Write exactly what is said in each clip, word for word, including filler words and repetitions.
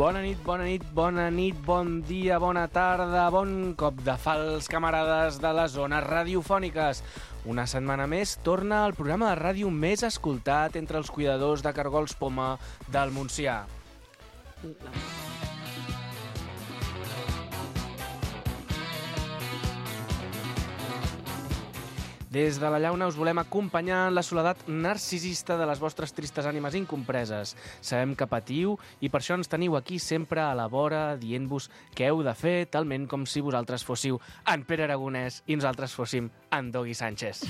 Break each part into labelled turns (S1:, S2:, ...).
S1: Bona nit, bona nit, bona nit, bon dia, bona tarda, bon cop de fals, camarades de les zones radiofòniques. Una setmana més torna el programa de ràdio més escoltat entre els cuidadors de cargols poma del Montsià. Des de la llauna us volem acompanyar en la soledat narcisista de les vostres tristes ànimes incompreses. Sabem que patiu i per això ens teniu aquí sempre a la vora dient-vos què heu de fer, talment com si vosaltres fóssiu en Pere Aragonès i nosaltres fóssim en Dogui Sánchez.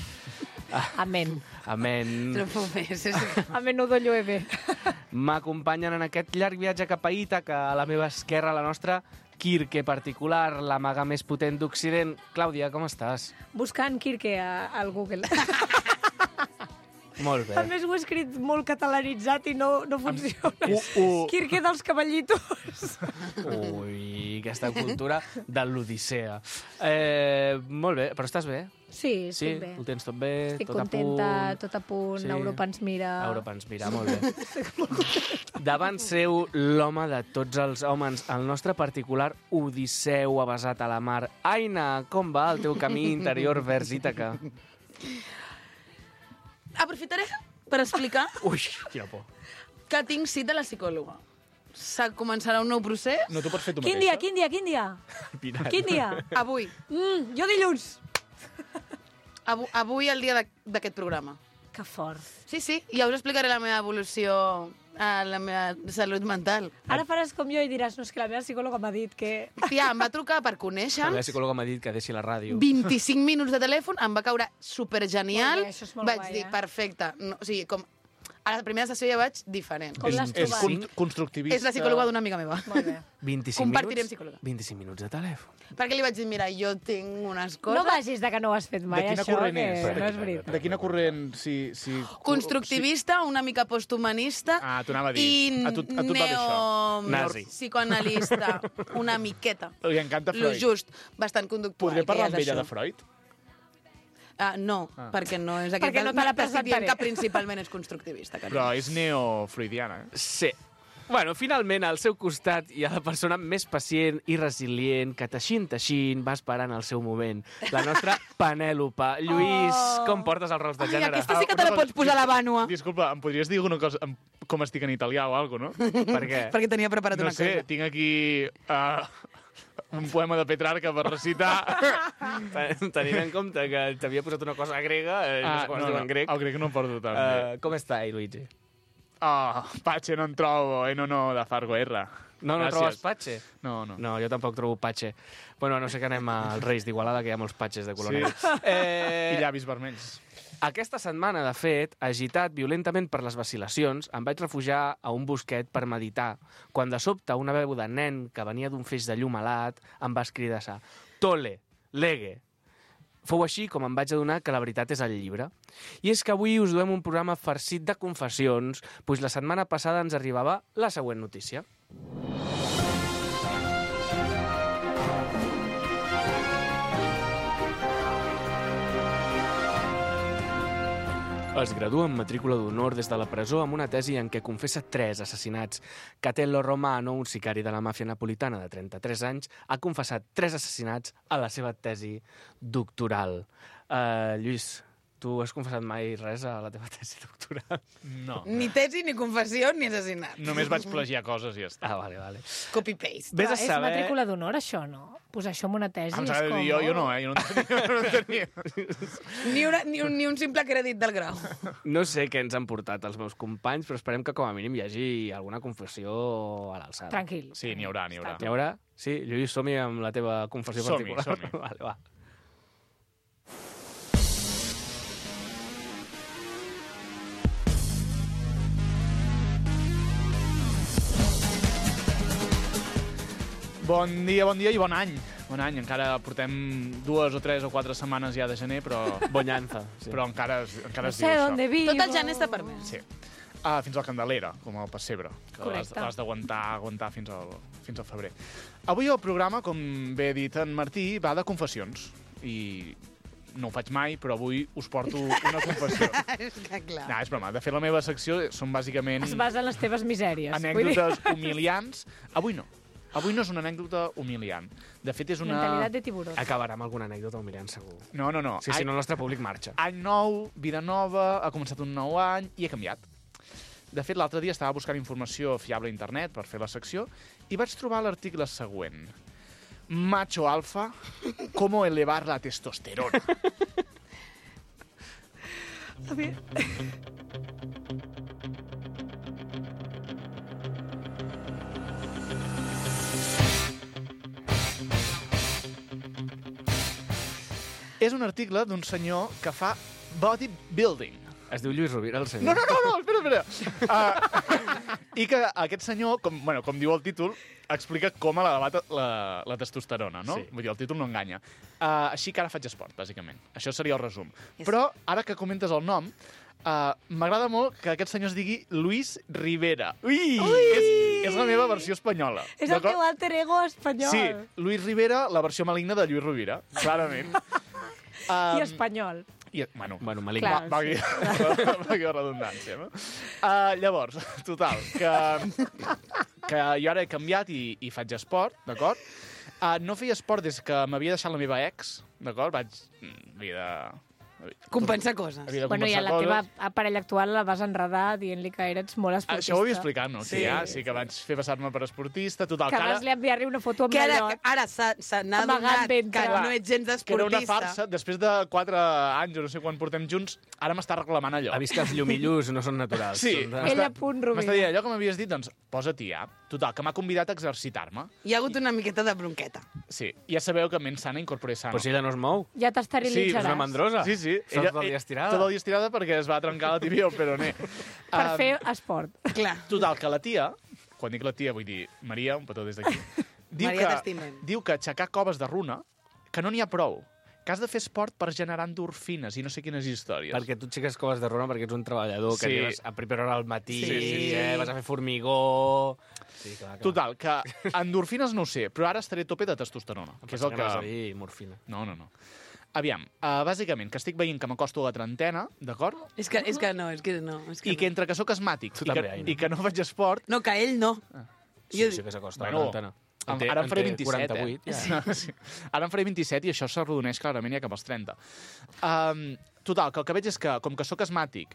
S2: Amén.
S1: Amén.
S2: Amén no do llueve.
S1: M'acompanyen en aquest llarg viatge cap a Ítaca, a la meva esquerra, la nostra Kirke particular, la maga més potent d'Occident. Clàudia, com estàs?
S2: Buscant Kirke a, al Google.
S1: Molt bé.
S2: A més, ho he escrit molt catalanitzat i no, no funciona.
S1: Uh, uh.
S2: Kirke dels cavallitos.
S1: Ui, aquesta cultura de l'Odissea. Eh, molt bé, però estàs bé?
S2: Sí, estic
S1: sí?
S2: bé.
S1: Ho tens tot bé?
S2: Estic
S1: tot
S2: contenta,
S1: a punt?
S2: tot a punt,
S1: Sí.
S2: Europa ens mira.
S1: Europa ens mira, molt bé. Davant seu, l'home de tots els homes, el nostre particular Odisseu avasat a la mar. Aina, com va el teu camí interior vers Ítaca?
S3: Aprofitaré per explicar
S1: Ui, quina por.
S3: que tinc cita a la psicòloga. Se començarà un nou procés.
S4: No t'ho pots fer tu
S2: Quin
S4: mateixa?
S2: dia, quin dia, quin dia?
S1: Pirat.
S2: Quin dia?
S3: Avui.
S2: Mm, jo dilluns.
S3: Avui, avui el dia de- d'aquest programa.
S2: Que fort.
S3: Sí, sí, ja us explicaré la meva evolució a la meva salut mental.
S2: Ara faràs com jo i diràs, no, és que la meva psicòloga m'ha dit que...
S3: Tia, em va trucar per
S1: La
S3: conèixer-nos,
S1: meva psicòloga m'ha dit que deixi la ràdio.
S3: vint-i-cinc minuts de telèfon, em va caure supergenial.
S2: Molt bé, això és molt
S3: vaig
S2: guai,
S3: dir,
S2: eh?
S3: perfecte. No, o sigui, com... A la primera sessió ja vaig diferent.
S2: Com
S4: És,
S2: l'has
S4: és
S2: trobat?
S4: con constructivista.
S3: És la psicòloga d'una amiga meva.
S2: Molt bé.
S1: vint-i-cinc
S3: Compartirem
S1: minuts?
S3: psicòloga.
S1: vint-i-cinc minuts de telèfon.
S3: Perquè li vaig dir, mira, jo tinc unes coses...
S2: No vagis de que no ho has fet mai,
S4: De quina
S2: això,
S4: corrent
S2: que
S4: és?
S2: no és veritat.
S4: De quina corrent? Si, si...
S3: Constructivista, una mica posthumanista
S4: Ah, t'ho anava a dir.
S3: i
S4: A tu- a tu et va bé això.
S1: Nazi.
S3: psicoanalista, una miqueta.
S4: Li encanta
S3: Lo
S4: Freud.
S3: just, bastant conductual.
S4: Podré parlar
S3: que
S4: amb
S3: ja és
S4: ella de
S3: això.
S4: Freud?
S3: Ah, no,
S4: Ah.
S3: perquè no és aquest...
S2: Perquè no te la
S3: t'estic dient
S2: presentaré.
S3: que principalment és constructivista. carinyo.
S4: Però és neofreudiana, eh?
S1: Sí. Bueno, finalment, al seu costat hi ha la persona més pacient i resilient que teixint, teixint, va esperant el seu moment. La nostra Penèlope. Lluís,
S2: Oh.
S1: com portes els rols de
S3: Ai,
S1: gènere?
S3: aquesta sí que
S4: Ah,
S3: te la
S4: una cosa-
S3: pots posar a la vànua.
S4: Disculpa, em podries dir alguna cosa em- com estic en italià o alguna cosa, no?
S1: Per què?
S3: Perquè tenia preparat
S4: No
S3: una
S4: sé,
S3: cosa.
S4: tinc aquí uh, un poema de Petrarca per recitar.
S1: Tenint en compte que t'havia posat una cosa grega, eh, no sé com es diu en grec.
S4: el grec no em porto tan bé.
S1: Uh, com està, Luigi?
S4: Oh, pace non trovo e non ho da far guerra.
S1: No, no
S4: Gràcies.
S1: trobes patxe?
S4: No, no.
S1: No, jo tampoc trobo patxe. Bueno, no sé que anem als Reis d'Igualada, que hi ha molts patxes de color
S4: Sí.
S1: negre. Eh,
S4: I llavis vermells.
S1: Aquesta setmana, de fet, agitat violentament per les vacil·lacions, em vaig refugiar a un bosquet per meditar, quan de sobte una veu de nen que venia d'un feix de llum alat em va escridassar «Tole, lege». Fou així com em vaig adonar que la veritat és el llibre. I és que avui us duem un programa farcit de confessions, doncs la setmana passada ens arribava la següent notícia. Es gradua en matrícula d'honor des de la presó amb una tesi en què confessa tres assassinats. Catello Romano, un sicari de la màfia napolitana de trenta-tres anys, ha confessat tres assassinats a la seva tesi doctoral. Uh, Lluís, tu has confessat mai res a la teva tesi doctoral?
S4: No.
S3: Ni tesi, ni confessió, ni assassinat.
S4: Només vaig plagiar coses i ja està.
S1: Ah, vale, vale.
S3: Copy-paste.
S1: Vés a
S2: És
S1: saber...
S2: matrícula d'honor, això, no? Posar això en una tesi
S4: Em
S2: és
S4: s'ha de
S2: com...
S4: dir jo, jo no, eh? Jo no en tenia. No en tenia.
S3: Ni, una, ni, un, ni un simple crèdit del grau.
S1: No sé què ens han portat els meus companys, però esperem que com a mínim hi hagi alguna confessió a l'alçada.
S2: Tranquil.
S4: Sí, n'hi haurà, n'hi haurà.
S1: Hi haurà? Sí? Lluís, som-hi amb la teva confessió
S4: Som-hi,
S1: particular.
S4: som-hi.
S1: Vale, va.
S4: Bon dia, bon dia i bon any. Bon any. Encara portem dues o tres o quatre setmanes ja de gener, però,
S1: Bonyanza. Sí.
S4: però encara, es- encara
S2: No
S4: es diu
S2: sé
S4: això.
S2: on vivo.
S3: Tot el gener està permès.
S4: Sí. Ah, fins a la Candelera, com el pessebre, que l'has
S2: Correcte.
S4: l'has d'aguantar aguantar fins al, fins al febrer. Avui el programa, com bé ha dit en Martí, va de confessions. I, no ho faig mai, però avui us porto una confessió.
S3: És que clar.
S4: No, és broma. De fet, la meva secció són bàsicament
S2: Es basa en les teves misèries.
S4: anècdotes humiliants. Avui no. Avui no és una anècdota humiliant. De fet, és una...
S2: Mentalitat de tiburó.
S1: Acabarà amb alguna anècdota humiliant, segur.
S4: No, no, no.
S1: Sí, si no, el nostre públic marxa.
S4: Any nou, vida nova, ha començat un nou any i he canviat. De fet, l'altre dia estava buscant informació fiable a internet per fer la secció i vaig trobar l'article següent. Macho alfa, cómo elevar la testosterona.
S2: A ver.
S4: És un article d'un senyor que fa bodybuilding.
S1: Es diu Lluís Rovira, el senyor.
S4: No, no, no, no espera, espera. Uh, I que aquest senyor, com, bueno, com diu el títol, explica com ha elevat la, la testosterona, no?
S1: Sí.
S4: Vull dir, el títol no enganya. Uh, així que ara faig esport, bàsicament. Això seria el resum. Però, ara que comentes el nom, uh, m'agrada molt que aquest senyor es digui Luis Rivera. Ui! Ui! És, és la meva versió espanyola.
S2: És el teu alter ego espanyol.
S4: Sí, Luis Rivera, la versió maligna de Lluís Rovira, clarament. Um,
S2: I espanyol.
S4: I, bueno,
S1: Bueno, maligne.
S2: Clar.
S4: va, va, va, va redundància, no? Uh, llavors, total, que, que jo ara he canviat i, i faig esport, d'acord? Uh, no feia esport des que m'havia deixat la meva ex, d'acord? Vaig... Havia de...
S3: Compensar coses.
S4: Havia de
S2: Bueno, i a
S4: compensar
S2: la
S4: coses.
S2: teva parella actual la vas enredar dient-li que eres molt esportista.
S4: Això ho havia explicat, no?
S3: Sí.
S4: Sí, ja, sí que vaig fer passar-me per esportista, total,
S2: Que
S4: que ara...
S2: vas li enviar-li una foto amb
S3: Que ara,
S2: mallot.
S3: ara s'ha- se n'ha
S2: Amagant
S3: adonat que
S2: ventre.
S3: no ets gens
S4: que era una
S3: esportista.
S4: farsa. Després de quatre anys, o no sé quan portem junts, ara m'està reclamant allò.
S1: Ha vist que els llumillus no són naturals.
S4: Sí,
S1: Són de...
S2: Ella a punt, Rovira.
S4: m'està dient allò que m'havies dit, doncs posa-t'hi ja. Total, que m'ha convidat a exercitar-me.
S3: Hi ha hagut una miqueta de bronqueta.
S4: Sí, ja sabeu que ment sana incorpore sano.
S1: Però si ella no es mou.
S2: Ja
S4: Sí,
S2: t'esterilitzaràs.
S1: És una mandrosa.
S4: Sí, sí.
S1: Està tot el dia estirada.
S4: Tot el dia estirada perquè es va trencar la tibia al peroné.
S2: Per
S4: Um,
S2: fer esport.
S3: Clar.
S4: Total, que la tia, quan dic la tia vull dir Maria, un petó des d'aquí, diu,
S3: Maria,
S4: que,
S3: t'estimem.
S4: diu que aixecar coves de runa, que no n'hi ha prou, que has de fer esport per generar endorfines i no sé quines històries.
S1: Perquè tu aixeques coves de runa perquè ets un treballador que
S4: Sí.
S1: arribes a primera hora al matí,
S3: Sí, sí, sí.
S1: Eh, vas a fer formigó... Sí, clar, clar.
S4: Total, que endorfines no ho sé, però ara estaré a tope de testosterona, que és el que...
S1: anaves a dir morfina.
S4: No, no, no. Aviam, uh, bàsicament, que estic veient que m'acosto a la trentena, d'acord?
S3: És que, és que no, és que no. És que
S4: I que entre que sóc asmàtic
S1: Tu
S4: i que,
S1: també, Aina.
S4: i que no faig esport,
S3: No, que ell no.
S1: Sí,
S3: Jo-
S1: sí que s'acosta
S4: Bueno,
S1: a la trentena.
S4: Em-
S1: En té-
S4: ara em
S1: en
S4: faré
S1: té
S4: vint-i-set,
S1: quaranta-vuit,
S4: eh?
S1: ja.
S4: Sí. Ara em faré vint-i-set i això s'arrodoneix clarament ja cap als trenta. Um, total, que el que veig és que, com que sóc asmàtic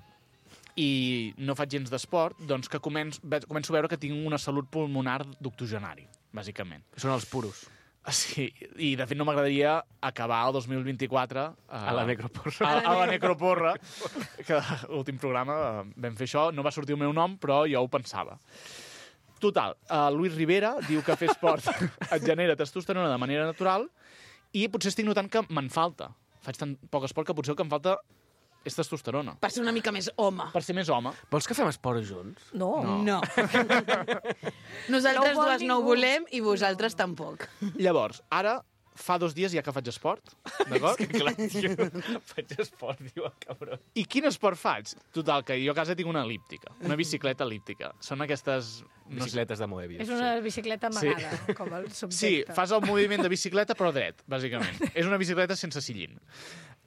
S4: i no faig gens d'esport, doncs que començo, ve- començo a veure que tinc una salut pulmonar d'octogenari, bàsicament.
S1: Són els puros.
S4: Sí, i de fet no m'agradaria acabar el dos mil vint-i-quatre... Uh,
S1: A la necroporra.
S4: A, a la necroporra, que l'últim programa uh, vam fer això, no va sortir el meu nom, però jo ho pensava. Total, uh, Luis Rivera diu que fer esport et genera testosterona de manera natural i potser estic notant que me'n falta. Faig tan poc esport que potser el que em falta és testosterona.
S3: Per ser una mica més home.
S4: Per ser més home.
S1: Vols que fem esport junts?
S2: No.
S4: No.
S3: No. Nosaltres
S2: No ho vol
S3: dues no ho
S2: ningú.
S3: volem i vosaltres tampoc.
S4: Llavors, ara fa dos dies ja que faig esport, d'acord?
S1: Clar, jo faig esport, diu el cabró.
S4: I quin esport faig? Total, que jo a casa tinc una elíptica, una bicicleta elíptica. Són aquestes... No sé,
S1: Bicicletes de Moebius.
S2: És una bicicleta
S4: Sí.
S2: amagada, com el subjecte.
S4: sí, fas el moviment de bicicleta però dret, bàsicament. És una bicicleta sense sillín.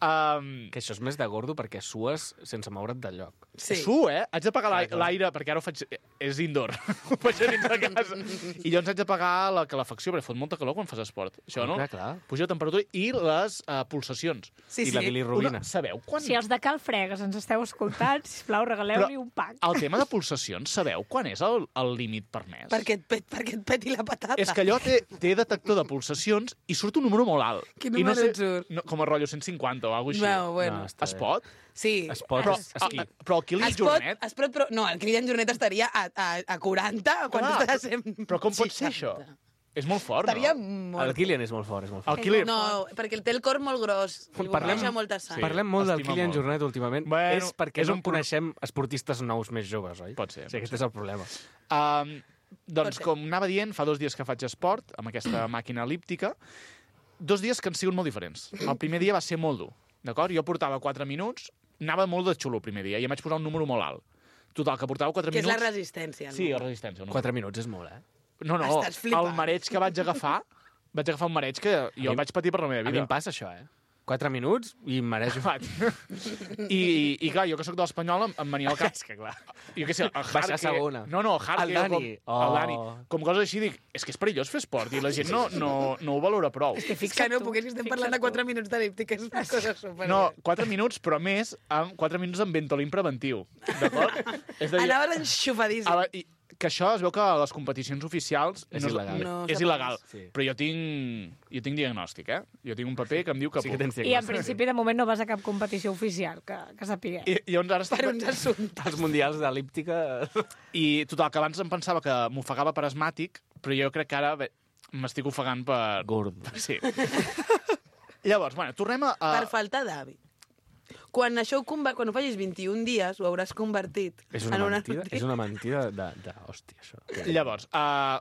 S4: Um,
S1: Que això és més de gordo perquè sues sense moure't del lloc.
S3: Sí.
S4: Su, eh? Haig de pagar l'ai-
S1: Clar, clar.
S4: l'aire, perquè ara ho faig... És indoor. Ho faig a dins de casa. I llavors haig de pagar la calefacció, perquè fot molta calor quan fas esport. Això, no?
S1: Clar, clar.
S4: Puja la temperatura i les uh, pulsacions.
S3: Sí,
S1: I la
S3: sí.
S1: bilirrubina.
S4: Una, sabeu quan...
S2: Si els de Cal Fregues ens esteu escoltant, sisplau, regaleu-li
S4: Però
S2: un pack.
S4: El tema de pulsacions, sabeu quan és el, el límit permès?
S3: Perquè et, pet, perquè et peti la patata.
S4: És que allò té, té detector de pulsacions i surt un número molt alt.
S3: Quin
S4: I no
S3: número
S4: sé,
S3: et surt?
S4: No, com a rotllo cent cinquanta o alguna cosa així.
S3: No, bueno.
S1: No, està
S4: Es
S1: bé.
S4: pot?
S3: Sí.
S1: Es pot,
S4: Però,
S1: es- esquí.
S4: a- però el Kilian
S3: Es pot,
S4: Jornet...
S3: es pot, però, no, el Kilian Jornet estaria a, a, a quaranta quan
S4: Clar,
S3: tu estàs a cent
S4: però com pot ser
S3: seixanta.
S4: això? És molt fort,
S3: Estaria
S4: no?
S3: molt...
S1: El Kilian és molt fort, és molt fort.
S4: El Kilian...
S3: No, perquè el té el cor molt gros. Li
S1: Parlem-
S3: bombeja molta sang.
S4: Sí.
S1: Parlem molt del
S4: estima
S1: Kilian
S4: molt.
S1: Jornet últimament.
S4: Bueno,
S1: és perquè
S4: és
S1: no
S4: un pro-
S1: coneixem esportistes nous més joves, oi?
S4: Pot ser,
S1: Sí,
S4: pot
S1: aquest és el problema.
S4: Um, doncs,
S3: Pot ser.
S4: com anava dient, fa dos dies que faig esport amb aquesta màquina elíptica, dos dies que han sigut molt diferents. El primer dia va ser molt dur, d'acord? Jo portava quatre minuts, anava molt de xulo el primer dia, i em vaig posar un número molt alt. Total, que portava quatre
S3: Que és
S4: minuts...
S3: la resistència.
S4: Sí,
S3: no?
S4: la resistència. No?
S1: Quatre minuts és molt, eh?
S4: No, no,
S3: Estàs flipant.
S4: el mareig que vaig agafar, vaig agafar un mareig que jo
S1: mi-
S4: vaig patir per la meva
S1: A mi
S4: vida.
S1: em passa això, eh? Quatre minuts i em mereixo.
S4: I, i, i clar, jo que sóc de l'Espanyol em, em venia al cap.
S1: És que clar.
S4: Jo què sé, el
S1: Baixar
S4: Jarque...
S1: segona.
S4: No, no, el Jarque...
S1: El Dani.
S4: Com,
S1: Oh.
S4: el Dani. Com coses així, dic, és que és perillós fer esport i la gent no, no, no ho valora prou.
S2: És que
S3: És que
S2: fixa't
S3: no
S2: tu,
S3: puc, és que estem
S2: fixa't
S3: parlant de
S2: tu.
S3: quatre minuts d'elíptica, és una cosa super...
S4: No, quatre minuts, però més, amb quatre minuts amb Ventolin preventiu. D'acord? És a dir,
S3: Anaves enxufadíssim.
S4: a la, i, que això es veu que a les competicions oficials
S1: És
S4: no,
S1: il·legal.
S3: No
S4: és
S3: s'ha
S4: il·legal.
S1: Sí.
S4: Però jo tinc, jo tinc diagnòstic, eh? Jo tinc un paper que em diu que
S1: Sí
S4: puc.
S1: que tens
S2: I en
S1: diagnòstic.
S2: principi, de moment, no vas a cap competició oficial, que, que sapiguem.
S4: I, i llavors ara estic...
S3: Per uns assumptes.
S1: Els mundials d'elíptica...
S4: I total, que abans em pensava que m'ofegava per asmàtic, però jo crec que ara bé, m'estic ofegant per...
S1: Gord.
S4: Sí. Llavors, bueno, tornem a... a...
S3: Per falta d'hàbit. Quan això ho, conver... quan ho facis vint-i-un dies, ho hauràs convertit
S1: És una
S3: en una
S1: mentida, és una mentida de, de hòstia, això.
S4: Llavors, uh,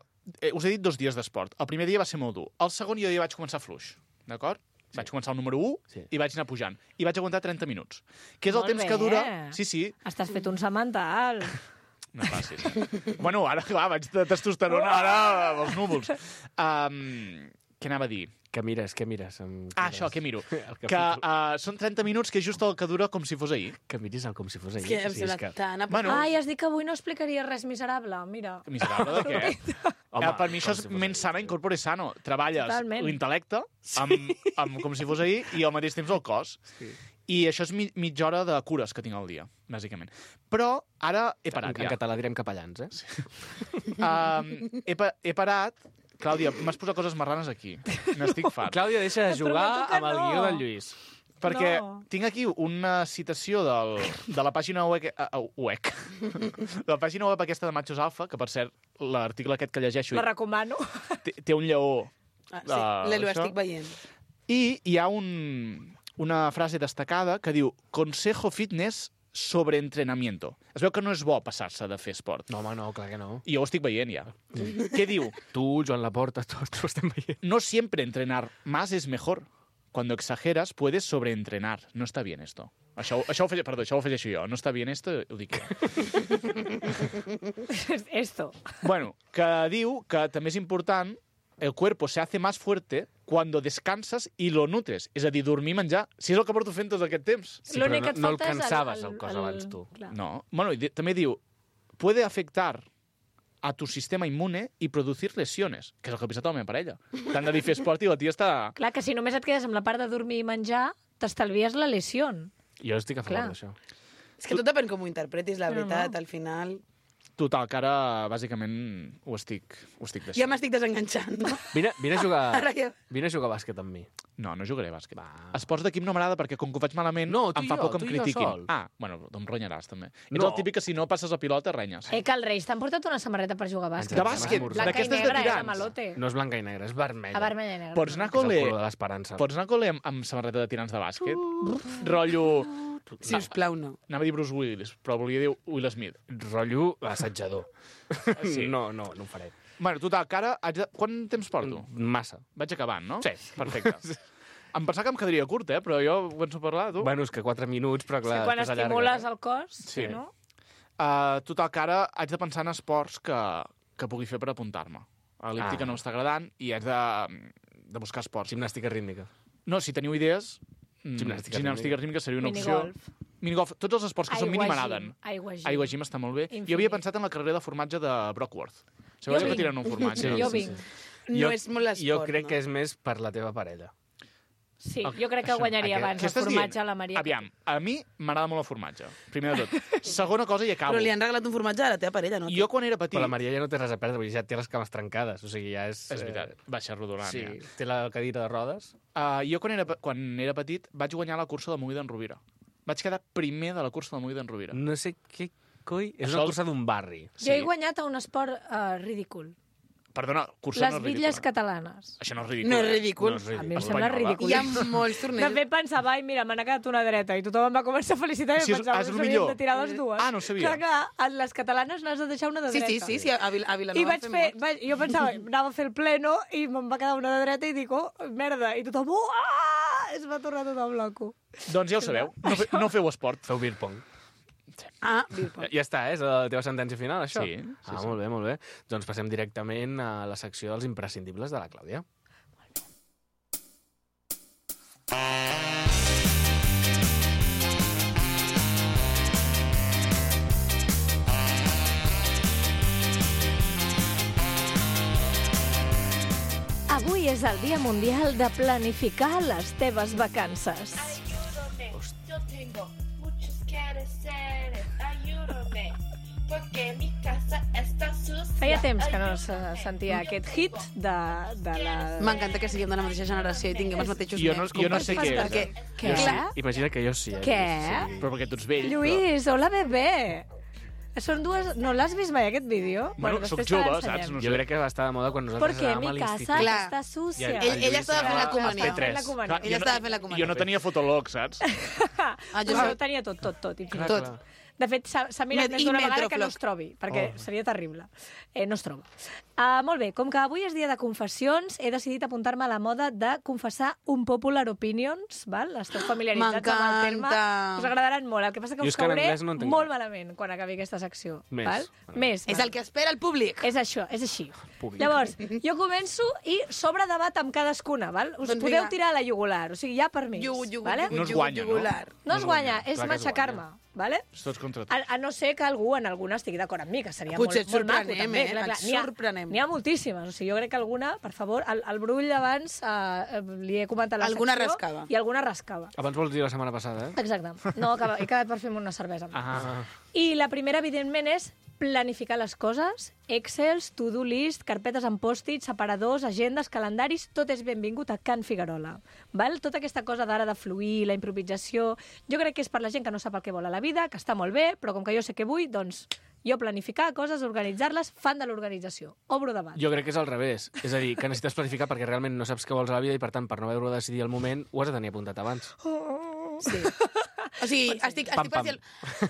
S4: us he dit dos dies d'esport. El primer dia va ser molt dur. El segon jo ja vaig començar fluix, d'acord? Sí. Vaig començar el número u
S1: Sí.
S4: i vaig anar pujant. I vaig aguantar trenta minuts. Que és el
S2: Molt
S4: temps
S2: bé.
S4: que dura... Sí, sí.
S2: Estàs fet un semental.
S4: No facis. Bueno, ara, clar, vaig de testosterona, ara, als núvols. Um, què anava a dir?
S1: Què mires, què mires? Em...
S4: Ah, això, què miro?
S1: El que
S4: Que
S1: foto.
S4: uh, són trenta minuts, que és just el que dura com si fos ahir.
S1: Que miris el com si fos
S3: És
S1: ahir.
S3: que em
S1: Sí,
S3: sembla
S1: és que...
S3: tan...
S4: Bueno,
S2: Ai, has dit que avui no explicaria res miserable, mira.
S4: Miserable de què?
S1: Home,
S4: eh, per mi això
S1: com
S4: és
S1: si fos
S4: ment
S1: ahir.
S4: sana, incorpore sano. Treballes
S2: Totalment.
S4: l'intel·lecte amb, amb com si fos ahir i al mateix temps el cos.
S1: Sí.
S4: I això és mi, mitja hora de cures que tinc al dia, bàsicament. Però ara he parat
S1: En, en
S4: ja.
S1: català direm capellans, eh? Sí.
S4: Um, he, pa he parat... Clàudia, m'has posat coses marranes aquí. N'estic fart.
S1: Clàudia, deixa de
S2: Et
S1: jugar
S2: prometo que
S1: amb el
S2: no.
S1: guió del Lluís.
S4: Perquè
S2: No.
S4: tinc aquí una citació del, de la pàgina web, uh, web. de la pàgina web aquesta de Machos Alfa, que per cert, l'article aquest que llegeixo
S2: La recomano.
S4: té, té un lleó.
S3: Ah, sí,
S4: Ah,
S3: l'Elo
S4: això.
S3: estic veient.
S4: I hi ha un, una frase destacada que diu Consejo fitness sobre entrenamiento. Es veu que no és bo passar-se de fer esport.
S1: No, home, no, clar que no.
S4: I jo ho estic veient ja. Què diu?
S1: Tu, Joan Laporta, tots ho estem veient.
S4: No siempre entrenar más es mejor. Cuando exageras, puedes sobreentrenar. No está bien esto. Això, això, ho, afegeixo, perdó, això ho afegeixo jo. No està bien esto, ho dic jo.
S2: Esto.
S4: Bueno, que diu que també és important el cuerpo se hace más fuerte cuando descansas y lo nutres. És a dir, dormir, menjar. Si és el que porto fent tot aquest temps.
S1: Sí,
S2: L'únic
S1: però
S2: que et
S1: no, no el
S2: falta és el-
S1: cansaves,
S2: el-
S1: el cos,
S2: el-
S1: abans, tu.
S2: Clar.
S4: No. Bueno, i di- també diu, puede afectar a tu sistema inmune y producir lesiones, que és el que ha pensat la meva parella. T'han de dir fer esport i la tia està...
S2: Clar, que si només et quedes amb la part de dormir i menjar, t'estalvies la lesió.
S1: Jo estic a favor
S2: Clar.
S1: d'això.
S3: És que tot depèn com ho interpretis, la
S2: No, no.
S3: veritat, al final...
S4: Total, que ara, bàsicament, ho estic, ho estic deixant.
S3: Ja m'estic desenganxant, no?
S1: Vine, vine, a jugar,
S3: Ara ja...
S1: vine a jugar a bàsquet amb mi.
S4: No, no jugaré a bàsquet.
S1: Va.
S4: Esports d'equip no m'agrada perquè com que ho faig malament
S1: No, tu
S4: em
S1: i
S4: fa
S1: jo,
S4: por que em
S1: tu i jo
S4: critiquin.
S1: sol.
S4: Ah, bueno, em renyaràs també. Ets
S1: No.
S4: el típic que si no passes la pilota renyes.
S2: Eh, que els Reis t'han portat una samarreta per jugar a bàsquet.
S4: De bàsquet,
S1: Blanca i
S2: Blanca i
S4: d'aquestes de
S2: negra, eh, de
S4: tirants.
S2: malote.
S1: No és blanca i negra, és vermella.
S2: A vermella i negra.
S4: Pots anar a
S1: Que és el
S4: col·le,
S1: color de l'esperança.
S4: pots anar a col·le amb, amb samarreta de tirants de bàsquet? Rotllo...
S3: Si us plau, no.
S4: Anava a dir Bruce Willis, però volia dir Will Smith.
S1: Rotllo assetjador.
S4: Sí.
S1: No, no, no ho faré.
S4: Bueno, total, que ara... haig de... Quant temps porto?
S1: Massa.
S4: Vaig acabant, no?
S1: Sí.
S4: Perfecte. Em pensava que em quedaria curt, eh? Però jo començo a parlar, tu.
S1: Bueno, és que quatre minuts, però
S2: És
S1: clar...
S2: que quan
S1: després
S2: estimules
S1: allargues,
S2: el cos,
S4: Sí.
S2: no?
S4: Uh, total, que ara haig de pensar en esports que, que pugui fer per apuntar-me. L'elíptica
S1: Ah.
S4: no m'està agradant i haig de, de buscar
S1: eh?
S4: esports.
S1: Gimnàstica rítmica.
S4: No, si teniu idees, mm,
S1: Gimnàstica
S4: gimnàstica rítmica seria una opció.
S2: Minigolf.
S4: Minigolf. Tots els esports que són mínim m'agraden.
S2: Aigua gym.
S4: Aigua gym està molt bé.
S2: Infinit.
S4: Jo havia pensat en la carrera de formatge de Brockworth.
S2: Jo
S4: Sabeu que
S2: vinc.
S4: tiren un formatge?
S1: Sí,
S2: Jo
S1: sí,
S2: vinc.
S3: No
S1: Jo-
S3: és molt l'esport,
S1: Jo crec
S3: no?
S1: que és més per la teva parella.
S2: Sí, jo crec que guanyaria
S1: Aquest-
S2: abans
S4: Què
S2: el
S4: estàs
S2: formatge
S4: dient?
S2: a la Maria.
S4: Aviam, a mi m'agrada molt el formatge, primer de tot. Segona cosa i acabo.
S3: Però li han regalat un formatge a la teva parella, no?
S4: Jo quan era petit...
S1: Però la Maria ja no té res a perdre, vull dir, ja té les cames trencades, o sigui, ja és...
S4: És veritat, baixa rodolània.
S1: Sí, té la cadira de rodes.
S4: Uh, jo quan era, pe- quan era petit vaig guanyar la cursa de Moí d'en Rovira. Vaig quedar primer de la cursa de Moí d'en Rovira.
S1: No sé què coi... És
S4: Això
S1: una
S4: el-
S1: cursa d'un barri.
S2: Jo he guanyat a un esport uh, ridícul.
S4: Perdona, cursa
S2: Les
S4: no és
S2: bitlles
S4: ridícula.
S2: catalanes.
S4: Això no és ridícul.
S3: No és
S4: eh?
S3: ridícul.
S1: No és ridícul.
S2: A mi em sembla
S4: Espanyola.
S2: ridícul.
S3: Hi ha molts
S2: De
S3: tornejos.
S2: fet, pensava, ai, mira, me n'ha quedat una dreta, i tothom em va començar a felicitar i
S4: Sí, és-
S2: pensava
S4: ah,
S2: que
S4: és el
S2: s'havien
S4: millor.
S2: de tirar les dues.
S4: Ah, no ho sabia.
S2: Clar, clar, a les catalanes n'has de deixar una de
S3: Sí,
S2: dreta.
S3: sí, sí, sí, a, Vil a Vilanova
S2: I vaig
S3: fem
S2: fer,
S3: molts.
S2: vaig, jo pensava, anava a fer el pleno i me'n va quedar una de dreta i dic, oh, merda, i tothom, uah, es va tornar tot el bloco.
S4: Doncs ja ho sabeu, no, fe, no feu esport.
S1: Feu beer pong.
S3: Ah, Bilbao.
S1: Ja està, eh? És la teva sentència final, això?
S4: Sí, sí,
S1: Ah,
S4: sí.
S1: molt bé, molt bé. Doncs passem directament a la secció dels imprescindibles de la Clàudia.
S2: és el Dia Mundial de planificar les teves vacances.
S5: Ayúdame, yo tengo muchos quehaceres, ayúdame, porque mi casa está sucia.
S2: Feia temps que no se sentia aquest hit de, de la...
S3: M'encanta que siguem de la mateixa generació i tinguem els mateixos
S4: Jo no,
S3: nens.
S4: jo no sé què és.
S3: Perquè,
S2: Què?
S1: Jo sí. Imagina que jo sí. Eh?
S2: Què?
S1: Sí.
S4: Però perquè tu ets vell.
S2: Lluís, hola, bebè. Són dues... No l'has vist mai, aquest vídeo?
S4: Bueno,
S2: després
S4: soc
S2: te
S4: jove,
S2: l'ensenyem.
S4: saps? No
S1: Jo
S4: sé.
S1: crec que va estar de moda quan nosaltres
S2: Perquè
S1: anàvem a
S2: mi casa
S1: l'institut.
S3: Clar.
S2: està sucia.
S1: Ja,
S3: Ell, ell estava fent la
S2: Estava
S3: comunió.
S2: fent la comunió.
S4: Clar,
S3: Ell
S4: jo
S3: estava fent la comunió.
S4: Jo no tenia fotolog, saps?
S3: Ah, jo
S2: Però
S3: sé.
S2: ho tenia tot, tot, tot. infinit.
S1: Clar,
S3: Tot.
S1: clar.
S2: De fet, s'ha s'ha mirat
S3: Met-
S2: més
S3: i
S2: d'una vegada que no
S3: Metroflog.
S2: es trobi, perquè
S1: Oh.
S2: seria terrible. Eh, no es troba. Uh, molt bé, com que avui és dia de confessions, he decidit apuntar-me a la moda de confessar un popular opinions, val? Esteu familiaritzats amb el terme.
S3: M'encanta.
S2: Us agradaran molt. El que passa que
S1: Jo
S2: us
S1: és que en
S2: cauré
S1: anglès no entenc
S2: molt
S1: res.
S2: malament quan acabi aquesta secció.
S1: Més.
S2: Val?
S1: Bueno.
S2: Més.
S3: És
S2: val.
S3: el que espera el públic.
S2: És això, és així.
S1: Públic.
S2: Llavors, jo començo i sobre debat amb cadascuna, val? Us
S3: Doncs
S2: podeu
S3: vinga.
S2: tirar a la jugular, o sigui, ja per mi.
S3: Jugu, jugu,
S2: vale?
S3: jugu,
S4: No es
S3: jugu,
S4: guanya, no?
S3: jugular.
S2: No es guanya, és
S1: Clar que es
S2: matxacar-me, vale?
S4: Tots contra tu.
S2: A, a no ser que algú en alguna estigui d'acord amb mi, que seria
S3: Potser
S2: molt, molt
S3: et
S2: maco,
S3: sorprenem,
S2: també.
S3: eh?
S2: Clar, clar.
S3: Et
S2: N'hi ha-
S3: sorprenem.
S2: N'hi ha moltíssimes. O sigui, jo crec que alguna, per favor, el, el Brull abans eh, li he comentat la
S3: Alguna
S2: secció
S3: rascava.
S2: i alguna rascava.
S1: Abans vols dir la setmana passada, eh?
S2: Exacte. No, acaba, he quedat per fer-me una cervesa.
S1: Ah.
S2: I la primera, evidentment, és planificar les coses. Excels, to-do list, carpetes amb pòstits, separadors, agendes, calendaris, tot és benvingut a Can Figuerola. Val? Tota aquesta cosa d'ara de fluir, la improvisació, jo crec que és per la gent que no sap el que vol a la vida, que està molt bé, però com que jo sé què vull, doncs jo planificar coses, organitzar-les, fan de l'organització. Obro debat.
S1: Jo crec que és al revés. És a dir, que necessites planificar perquè realment no saps què vols a la vida i, per tant, per no haver-ho de decidir al moment, ho has de tenir apuntat abans.
S3: Sí. O sigui, estic,
S1: Pam,
S3: estic
S1: pam.
S3: parcial.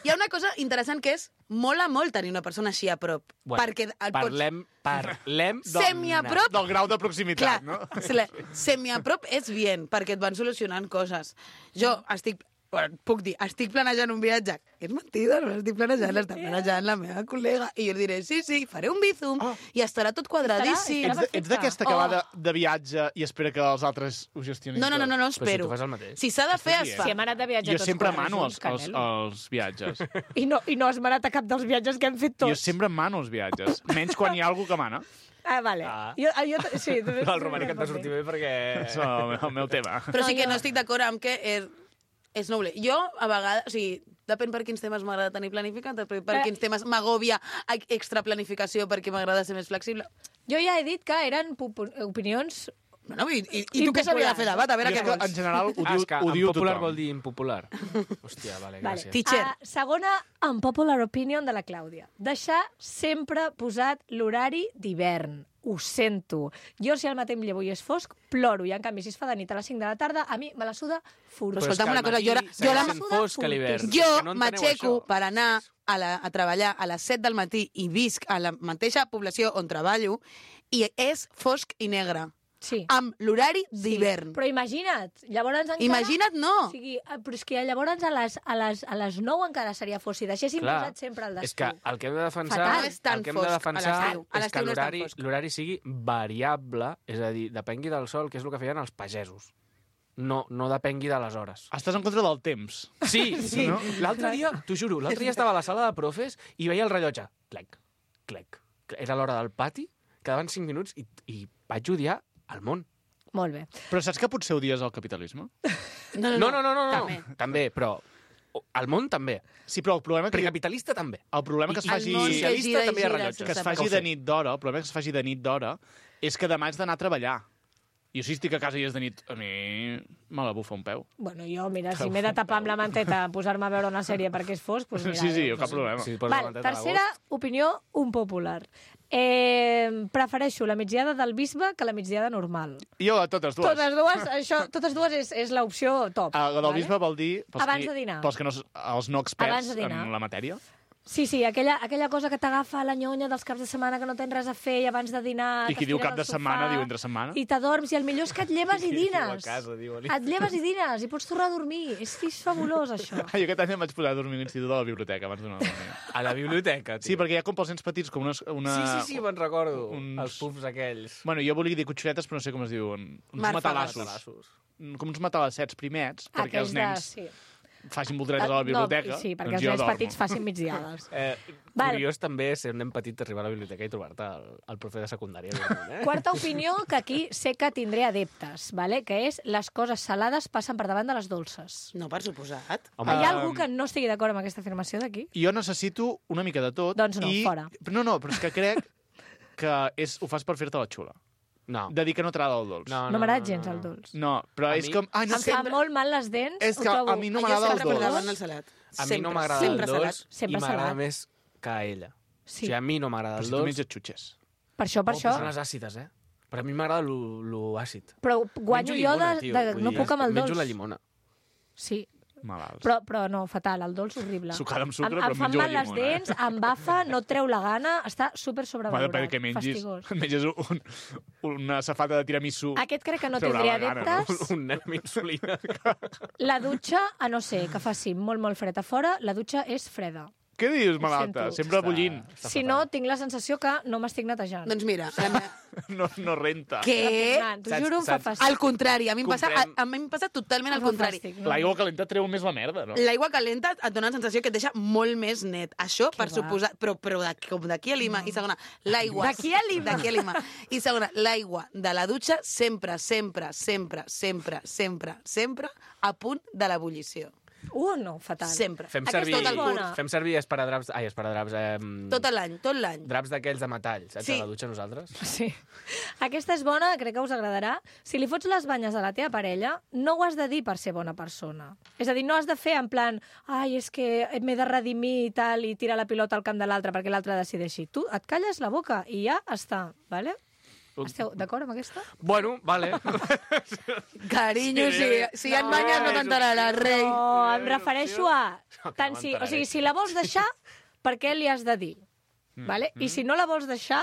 S3: Hi ha una cosa interessant que és mola molt tenir una persona així a prop.
S1: Bueno,
S3: perquè el
S1: Parlem, parlem...
S3: Semi-a-prop.
S4: Del grau de proximitat,
S3: Clar,
S4: no?
S3: sele- semi-a-prop és bien, perquè et van solucionant coses. Jo estic... Bueno, puc dir, estic planejant un viatge. És mentida, no l'estic planejant, l'està planejant la meva col·lega. I jo li diré, sí, sí, faré un bizum
S4: Oh.
S3: i estarà tot quadradíssim.
S2: Estarà-
S4: Ets, de- ets d'aquesta que
S3: Oh.
S4: va de, de viatge i espera que els altres ho gestionin
S3: No, no, no, no, no
S1: Però si
S3: espero.
S1: tu fas el mateix.
S3: Si s'ha de fer, es
S4: dient?
S3: fa.
S2: Si hem anat de viatge
S4: Jo
S2: tots
S4: sempre
S2: quatre
S4: mano els,
S2: junts,
S4: els,
S2: Canelo.
S4: els viatges.
S2: I no, I no has manat a cap dels viatges que hem fet tots.
S4: Jo sempre mano els viatges. Menys quan hi ha algú que mana.
S2: Ah, vale.
S1: Ah.
S2: Jo, jo, sí, tu-
S1: El romànic et va sortir bé perquè...
S4: És el, meu- el meu tema.
S3: Però sí
S2: No,
S3: que
S2: jo-
S3: no estic d'acord amb que és, és noble. Jo, a vegades, o sigui, depèn per quins temes m'agrada tenir planificat, depèn per
S2: Eh.
S3: quins temes m'agòbia extra planificació perquè m'agrada ser més flexible.
S2: Jo ja he dit que eren popu- opinions...
S3: Bueno, i, i, i tu què s'hauria de fer debat? A veure
S4: Jo és
S3: què
S4: que,
S3: vols.
S4: en general, ho
S1: Ah,
S4: diu,
S1: és que
S4: ho
S1: en
S4: diu
S1: popular
S4: tothom.
S1: vol dir impopular. Hòstia, vale,
S2: Vale.
S1: gràcies.
S3: Teacher.
S2: Uh, segona, unpopular opinion de la Clàudia. Deixar sempre posat l'horari d'hivern. Ho sento. Jo, si al matí em llevo i és fosc, ploro. I, en canvi, si es fa de nit a les cinc de la tarda, a mi me la suda furt.
S3: Però
S1: Però és
S3: escolta'm
S1: que
S3: una
S1: al
S3: cosa,
S1: matí
S3: jo la-
S1: segueix
S3: jo la-
S1: sent fosc a l'hivern.
S3: Jo
S1: És que no enteneu
S3: m'aixeco
S1: això.
S3: per anar a, la, a treballar a les set del matí i visc a la mateixa població on treballo i és fosc i negre,
S2: Sí.
S3: amb l'horari
S2: Sí,
S3: d'hivern.
S2: Però imagina't, llavors encara...
S3: Imagina't, no.
S2: O sigui, eh, però és que llavors a les, a les, a les nou encara seria fos. Si deixéssim
S1: Clar,
S2: posat sempre al
S1: és
S2: d'estiu.
S1: que el que hem de defensar,
S2: Fatal.
S3: No és tan
S1: el que hem
S3: fosc
S1: de
S3: a
S1: defensar
S3: l'estiu. A
S1: és
S3: l'estiu
S1: que
S3: no és tan
S1: l'horari
S3: fosc.
S1: l'horari sigui variable, és a dir, depengui del sol, que és el que feien els pagesos. No, no depengui de les hores.
S4: Estàs en contra del temps.
S1: Sí, sí. No? L'altre dia, t'ho juro, l'altre dia estava a la sala de profes i veia el rellotge. Clec, clec. Era l'hora del pati, quedaven cinc minuts i, i vaig odiar el món.
S2: Molt bé.
S4: Però saps que potser odies el capitalisme?
S3: No,
S1: No, no, no, no, no.
S3: També.
S1: també, però el món també.
S4: Sí, però el problema que,
S1: Precapitalista també.
S4: el problema que es
S1: I-
S4: faci...
S3: el món que
S1: socialista
S3: gira i
S1: també hi ha
S3: gira
S1: rellotges.
S4: que es
S3: sense
S4: faci
S1: parar.
S4: de nit d'hora, el problema que es faci de nit d'hora és que demà haig d'anar a treballar. Jo si estic a casa i és de nit, a mi me la bufa un peu.
S2: Bueno, jo, mira, si m'he de tapar amb la manteta, posar-me a veure una sèrie perquè és fosc, doncs mira...
S4: Sí, sí,
S2: doncs-
S4: cap problema.
S1: Si poses la
S2: Val,
S1: manteta a
S2: tercera
S1: l'agost.
S2: opinió, un popular. Eh, prefereixo la migdiada del bisbe que la migdiada normal.
S4: Jo a totes dues.
S2: Totes dues, això, totes dues és, és l'opció top.
S4: Ah, la del
S2: vale?
S4: bisbe vol dir... Pels
S2: Abans
S4: qui,
S2: de dinar.
S4: Pels que no, s- els no
S2: Abans
S4: experts
S2: de dinar.
S4: en la matèria.
S2: Sí, sí, aquella, aquella cosa que t'agafa la nyonya dels caps de setmana que no tens res a fer i abans de dinar...
S4: I qui diu
S2: t'estires
S4: cap de
S2: al sofà
S4: setmana, diu entre setmana.
S2: I t'adorms, i el millor és que et lleves i
S1: Qui diu a
S2: dines.
S1: casa, diu a l'I-
S2: Et lleves i dines, i pots tornar a dormir. És que és fabulós, això.
S4: Ah, jo aquest any em vaig posar a dormir a l'institut de la biblioteca abans d'una dormir.
S1: A la biblioteca, tio.
S4: Sí, perquè hi ha com pels nens petits com una... una...
S1: Sí, sí, sí, me'n recordo.
S4: uns-
S1: Els pufs aquells.
S4: Bueno, jo volia dir cotxeretes, però no sé com es diuen. Uns
S3: Màrfegues.
S4: matalassos. Com uns matalassets primets, perquè els
S2: Aquells de...
S4: nens
S2: Sí.
S4: facin volteretes a la biblioteca.
S2: No, sí, perquè
S4: doncs
S2: els
S4: jo
S2: nens
S4: dormo.
S2: petits facin migdiades.
S1: Eh,
S2: Val.
S1: curiós també ser un nen petit arribar a la biblioteca i trobar-te el, el profe de secundària. Eh?
S2: Quarta opinió, que aquí sé que tindré adeptes, vale? Que és les coses salades passen per davant de les dolces.
S3: No, per suposat.
S1: Home,
S2: Hi ha
S4: Um,
S2: algú que no estigui d'acord amb aquesta afirmació d'aquí?
S4: Jo necessito una mica de tot.
S2: Doncs no,
S4: i...
S2: fora.
S4: No, no, però és que crec que és, ho fas per fer-te la xula.
S1: no.
S4: De dir que no t'agrada el dolç.
S1: No,
S2: No m'agrada gens el dolç.
S4: No, però
S1: A
S4: és
S1: mi-
S4: com... Ai, no
S2: Em
S4: sé,
S2: fa molt mal les dents.
S4: És
S2: ho
S4: que
S2: trobo-
S4: a mi no
S3: Jo
S4: m'agrada el
S3: sempre per
S4: dolç.
S3: davant del salat.
S1: A mi
S3: Sempre,
S1: no m'agrada el
S3: sempre
S1: dolç
S3: salat.
S2: Sempre
S1: i m'agrada
S2: salat.
S1: més que a ella.
S2: Sí.
S1: O sigui, a mi no m'agrada
S4: Però
S1: el
S4: si tu
S1: dolç.
S4: menges xutxes.
S2: Per això, per
S1: Oh,
S2: això.
S1: però són les àcides, eh? Però a mi m'agrada lo, lo àcid.
S2: Però guanyo
S1: Menjo
S2: jo de,
S1: llimona, tio,
S2: de
S1: vull
S2: no
S1: dir,
S2: puc amb el dolç.
S1: Menjo la llimona.
S2: Sí,
S4: Malalts.
S2: però, però no, fatal, el dolç horrible.
S4: Sucada amb sucre,
S2: em,
S4: però
S2: em fan
S4: menjo la
S2: mal les
S4: llimona, eh?
S2: dents, em bafa, no et treu la gana, està super
S4: Bueno,
S2: sobrevalorat.
S4: perquè mengis,
S2: Fastigós.
S4: menges un, una safata de tiramisú.
S2: Aquest crec que no
S4: Treurà
S2: tindria
S4: la gana, no?
S2: adeptes.
S1: Un nen amb insulina.
S2: La dutxa, a no ser que faci molt, molt fred a fora, la dutxa és freda.
S4: Què dius, malalta?
S2: sento.
S4: Sempre bullint.
S2: Si no, tinc la sensació que no m'estic netejant.
S3: Doncs mira, la meva...
S4: No, no renta.
S3: Què?
S2: Repugnant, T'ho
S1: Saps-
S2: juro, em fa
S1: saps-
S2: fàstic.
S3: Al contrari, a mi em passa, a,
S1: Comprem-
S3: a mi em passa totalment al
S2: Em fa
S3: contrari.
S2: fàstic, no?
S4: L'aigua calenta treu més la merda, no?
S3: L'aigua calenta et dona la sensació que et deixa molt més net. Això,
S2: Que
S3: per
S2: va.
S3: suposar... Però, però de, com d'aquí a Lima. I segona, l'aigua...
S2: D'aquí a Lima.
S3: D'aquí a Lima. I segona, l'aigua de la dutxa sempre, sempre, sempre, sempre, sempre, sempre a punt de l'ebullició.
S2: Uh, no, fatal.
S3: Sempre.
S1: Fem
S2: Aquesta
S1: servir,
S2: és bona.
S1: fem servir esparadraps... Ai, esparadraps... Eh,
S3: Tot l'any, tot l'any.
S1: draps d'aquells de metall, saps?
S3: Sí.
S1: A la dutxa nosaltres.
S2: Sí. Aquesta és bona, crec que us agradarà. Si li fots les banyes a la teva parella, no ho has de dir per ser bona persona. És a dir, no has de fer en plan ai, és que m'he de redimir i tal, i tirar la pilota al camp de l'altre perquè l'altre decideixi. Tu et calles la boca i ja està, vale? Esteu d'acord amb aquesta?
S1: Bueno, vale.
S3: Carinyo, si, si hi ha banyes no t'enteraràs, rei.
S2: No, em refereixo a...
S1: No, que
S2: Tant
S1: no
S2: si, o
S1: m'enteraré.
S2: sigui, si la vols deixar, per què li has de dir?
S1: Mm.
S2: Vale? I si no la vols deixar,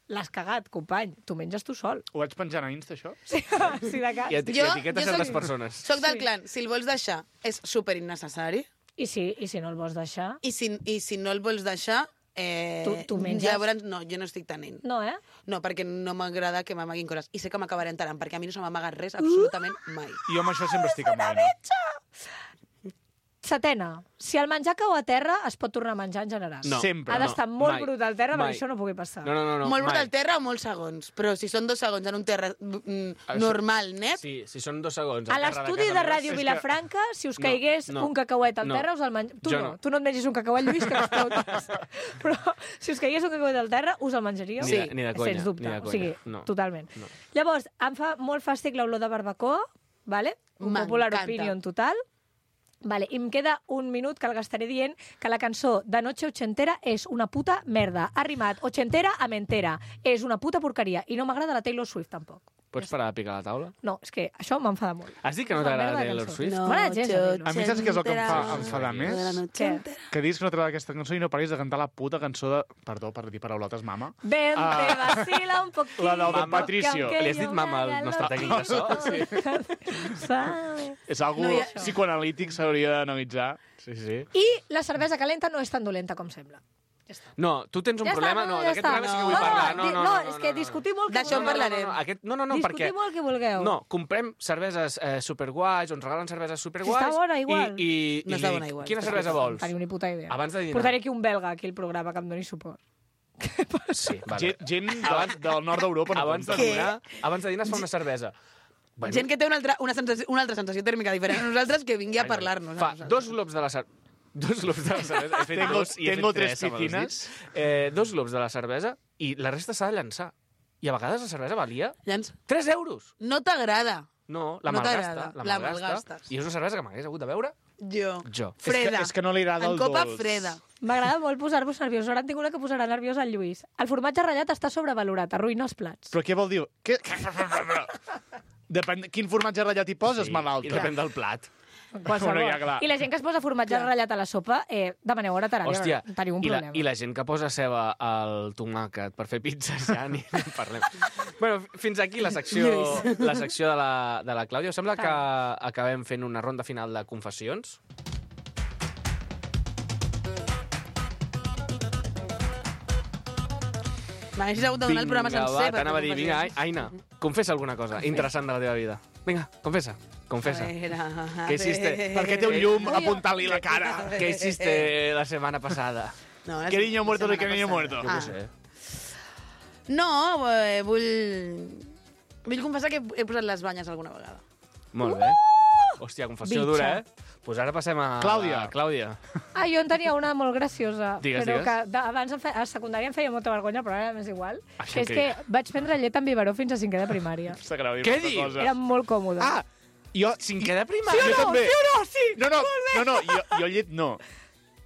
S2: l'has cagat, company. Tu menges tu sol.
S4: Ho vaig penjant a Insta, això?
S2: Sí, sí de cas.
S1: I, eti
S3: Jo-
S1: I etiqueta
S3: jo
S1: certes
S3: soc-
S1: persones.
S3: Soc del clan, si el vols deixar, és super innecessari.
S2: I si, I si no el vols deixar?
S3: I si, i si no el vols deixar, eh,
S2: Tu- tu menges?
S3: llavors no, jo no estic tenint.
S2: No, eh?
S3: No, perquè no m'agrada que m'amaguin coses. I sé que m'acabaré enterant, perquè a mi no se m'amaga res absolutament mai.
S4: Jo amb això sempre estic amb l'Anna.
S2: Setena, si el menjar cau a terra, es pot tornar a menjar en general.
S1: No.
S4: Sempre.
S2: Ha d'estar molt
S1: mai,
S2: brut al terra
S1: mai.
S2: perquè això no pugui passar.
S1: No, no, no. no
S3: Molt brut
S1: mai.
S3: al terra o molts segons. Però si són dos segons en un terra mm,
S1: Això-
S3: normal, net,
S1: Sí, si són dos segons.
S2: A
S1: al terra
S2: l'estudi de
S1: casa meva,
S2: Ràdio
S1: és que-
S2: Vilafranca, si us
S1: No,
S2: caigués
S1: no,
S2: un cacauet al
S1: no.
S2: terra, us el menjar... Tu
S1: Jo
S2: no.
S1: no.
S2: tu no et mengis un cacauet, Lluís, que explotes. Però si us caigués un cacauet al terra, us el menjaríeu?
S1: Ni de- ni de conya,
S2: Sens dubte.
S1: ni de
S2: O sigui,
S1: conya. No.
S2: totalment.
S1: No.
S2: Llavors, em fa molt fàstic l'olor de barbacoa, vale? Un popular
S3: M'encanta.
S2: opinion total. Vale, i em queda un minut que el gastaré dient que la cançó de Noche Ochentera és una puta merda. Ha rimat ochentera amb entera. És una puta porqueria. I no m'agrada la Taylor Swift, tampoc.
S1: Pots parar de picar la taula?
S2: No, és que això m'enfada molt.
S1: Has dit que no
S2: Una
S1: t'agrada
S2: merda de
S1: Taylor
S2: cançó.
S1: Swift?
S2: No. M'agrada gens, la Taylor.
S4: A mi saps què és el que em fa enfadar més?
S2: Què?
S4: Que diguis que no t'agrada aquesta cançó i no paris de cantar la puta cançó de... Perdó per dir paraulotes, mama.
S2: Ven,
S4: Ah.
S2: te vacila un poquito.
S4: La del
S1: Mama.
S4: Patricio.
S2: que
S1: Li has dit
S2: yo
S1: mama al
S2: me haga
S1: nostre tècnic de so?
S2: loco. Sabe.
S4: És algo
S3: No hi ha-
S4: psicoanalític, s'hauria d'analitzar. Sí, sí.
S2: I la cervesa calenta no és tan dolenta com sembla. Ja està.
S1: No, tu tens un
S2: Ja està,
S1: problema...
S2: no,
S1: No,
S2: ja
S1: d'aquest
S2: està.
S1: programa sí que vull
S2: No,
S1: parlar.
S2: no,
S1: No, no,
S2: no,
S1: no,
S2: és que discutim molt que
S3: D'això en
S2: vulgueu.
S3: parlarem.
S1: No, no, aquest, no, no, no perquè...
S2: Discutim el que vulgueu.
S1: No, comprem cerveses eh, superguais, ens regalen cerveses superguais...
S2: Si està bona, igual.
S1: I, i,
S3: No
S1: i
S3: està
S1: dic,
S3: bona, igual.
S1: Quina cervesa vols?
S2: Teniu ni puta idea.
S1: Abans de dinar.
S2: Portaré aquí un belga aquí al programa que em doni suport.
S1: Sí, vale.
S4: Gent, gent del, del nord d'Europa no
S1: Abans de
S4: compta.
S1: dinar, abans de dinar es fa una cervesa. Bueno,
S3: Gent que té una altra, una, sensació, una altra sensació tèrmica diferent a nosaltres que vingui a
S1: ai,
S3: parlar-nos. a
S1: Fa
S3: nosaltres.
S1: dos glops de la cervesa... Dos glops de la cervesa. He fet
S4: Tengo-
S1: dos i he
S4: tengo
S1: fet tres,
S4: tres
S1: amb els
S4: piscines.
S1: dits. Eh, dos glops de la cervesa i la resta s'ha de llançar. I a vegades la cervesa valia
S3: Llanç,
S1: tres euros.
S3: no t'agrada.
S1: No, la
S3: No
S1: malgasta.
S3: t'agrada,
S1: La
S3: la
S1: malgasta.
S3: malgastes.
S1: I és una cervesa que m'hagués hagut de beure
S3: Jo.
S1: jo.
S4: És que,
S3: Freda.
S4: és que no li agrada
S3: En
S4: el
S3: copa
S4: dolç.
S3: freda.
S2: M'agrada molt posar-vos nerviós. Ara en tinc una que posarà nerviós el Lluís. El formatge ratllat està sobrevalorat, arruïna els plats.
S4: Però què vol dir? Què? Depèn de quin formatge ratllat hi poses,
S1: Sí,
S4: malalta.
S1: I depèn del plat.
S2: Qualsevol.
S4: Bueno, ja, clar.
S2: I la gent que es posa formatge ratllat a la sopa, eh, demaneu hora terària.
S1: Hòstia,
S2: teniu un
S1: i la,
S2: problema.
S1: i la gent que posa ceba al tomàquet per fer pizzas ja ni en parlem. Bueno, fins aquí la secció, la secció de, la, de la Clàudia. Us sembla que acabem fent una ronda final de confessions?
S3: M'haguessis hagut de donar el programa
S1: Vinga,
S3: sencer.
S1: va, t'anava a dir,
S3: perquè
S1: vinga,
S3: confessis.
S1: Aina, confessa alguna cosa interessant de la teva vida. Vinga, confessa. confessa.
S3: A veure, a
S1: Què hiciste?
S3: veure.
S4: Perquè té un llum apuntant-li la cara.
S1: ¿Qué hiciste la semana pasada?
S3: No, la
S4: Que niño muerto de
S3: setmana
S4: que niño
S3: passada.
S4: muerto.
S1: Jo
S3: Ah.
S1: què sé.
S3: No, eh, vull... Vull confessar que he posat les banyes alguna vegada.
S1: Molt bé. Hòstia, confessió
S2: Bitxa.
S1: dura, eh? Pues ara passem a...
S4: Clàudia.
S1: a Clàudia.
S2: Ah, jo en tenia una molt graciosa.
S1: Digues,
S2: però
S1: digues.
S2: que de, abans em fe, a secundària em feia molta vergonya, però ara m'és igual.
S1: Això
S2: que és
S1: què?
S2: que vaig prendre llet amb biberó fins a cinquè de primària.
S4: Està greu dir
S1: Què
S4: molta
S1: dius?
S4: cosa.
S2: Era molt còmode.
S4: Ah, jo...
S1: Cinquè de primària?
S4: jo també.
S2: Sí o no? Sí!
S4: No, no, no, no, jo, jo llet no.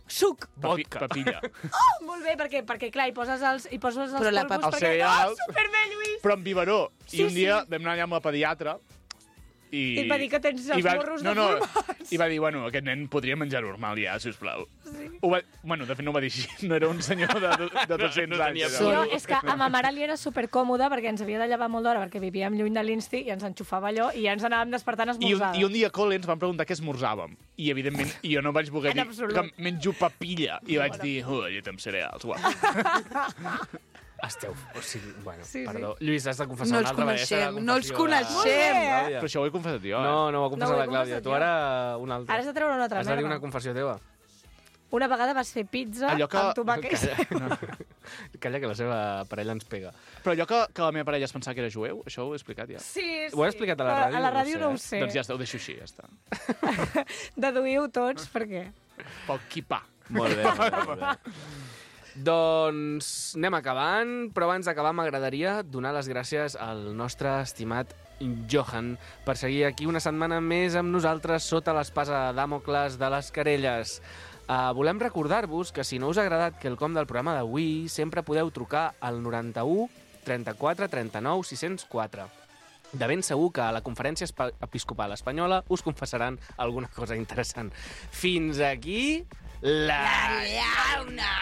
S2: Suc!
S4: Papi,
S1: Vodka.
S4: papilla.
S2: Oh, molt bé, perquè, perquè clar, hi poses els, hi poses els
S3: Però la
S2: polvos
S3: pap-
S4: els
S2: perquè...
S4: cereals.
S2: Oh, superbé, Lluís!
S4: Però amb biberó.
S2: Sí,
S4: I un dia
S2: sí.
S4: vam anar allà amb la pediatra i...
S2: I et va dir que tens els
S4: i va,
S2: morros
S4: no, no,
S2: deformats.
S4: I va dir, bueno, aquest nen podria menjar normal ja, sisplau. Sí. Ho va, bueno, de fet no ho va dir així. No era un senyor de, de dos-cents
S1: no tenia
S4: anys.
S1: por.
S2: No, és que a ma mare li era supercòmode perquè ens havia de llevar molt d'hora perquè vivíem lluny de l'Insti i ens enxufava allò i ja ens anàvem despertant
S4: I un,
S2: esmorzada.
S4: I un dia a col·le ens van preguntar què esmorzàvem. I, evidentment, jo no vaig voler
S2: En
S4: dir
S2: absolut.
S4: que menjo papilla. I vaig dir, oh, llet amb cereals, guau.
S1: Esteu... O sigui, bueno,
S2: Sí, sí.
S1: perdó. Lluís, has de confessar
S3: No
S1: una
S3: els
S1: altra vegada.
S3: coneixem, no els
S1: De...
S3: coneixem.
S1: Clàudia.
S4: Però això ho he confessat jo, eh?
S1: No, no ho ha confessat
S2: No ho he
S1: la Clàudia.
S2: confessat
S1: Tu
S2: jo.
S1: ara una altra.
S2: Ara has de treure una altra
S1: Has de dir
S2: merda.
S1: una confessió teva.
S2: Una vegada vas fer pizza
S4: Allò que-
S2: amb tomàquet.
S1: Calla. Calla, que la seva parella ens pega.
S4: Però allò que, que la meva parella es pensava que era jueu, això ho he explicat ja.
S2: Sí, sí.
S1: Ho he explicat a la ràdio?
S2: A la ràdio no ho
S1: No
S2: sé.
S4: Doncs ja està, ho deixo així, ja està.
S2: Deduïu tots, per què?
S4: Pel quipà.
S1: Molt bé, molt bé, molt bé. Doncs anem acabant, però abans d'acabar m'agradaria donar les gràcies al nostre estimat Johan per seguir aquí una setmana més amb nosaltres sota l'espasa de Dàmocles de les Querelles. Uh, volem recordar-vos que si no us ha agradat quelcom del programa d'avui, sempre podeu trucar al noranta-u trenta-quatre trenta-nou sis cents quatre. De ben segur que a la Conferència Espa- Episcopal Espanyola us confessaran alguna cosa interessant. Fins aquí la...
S3: Llauna!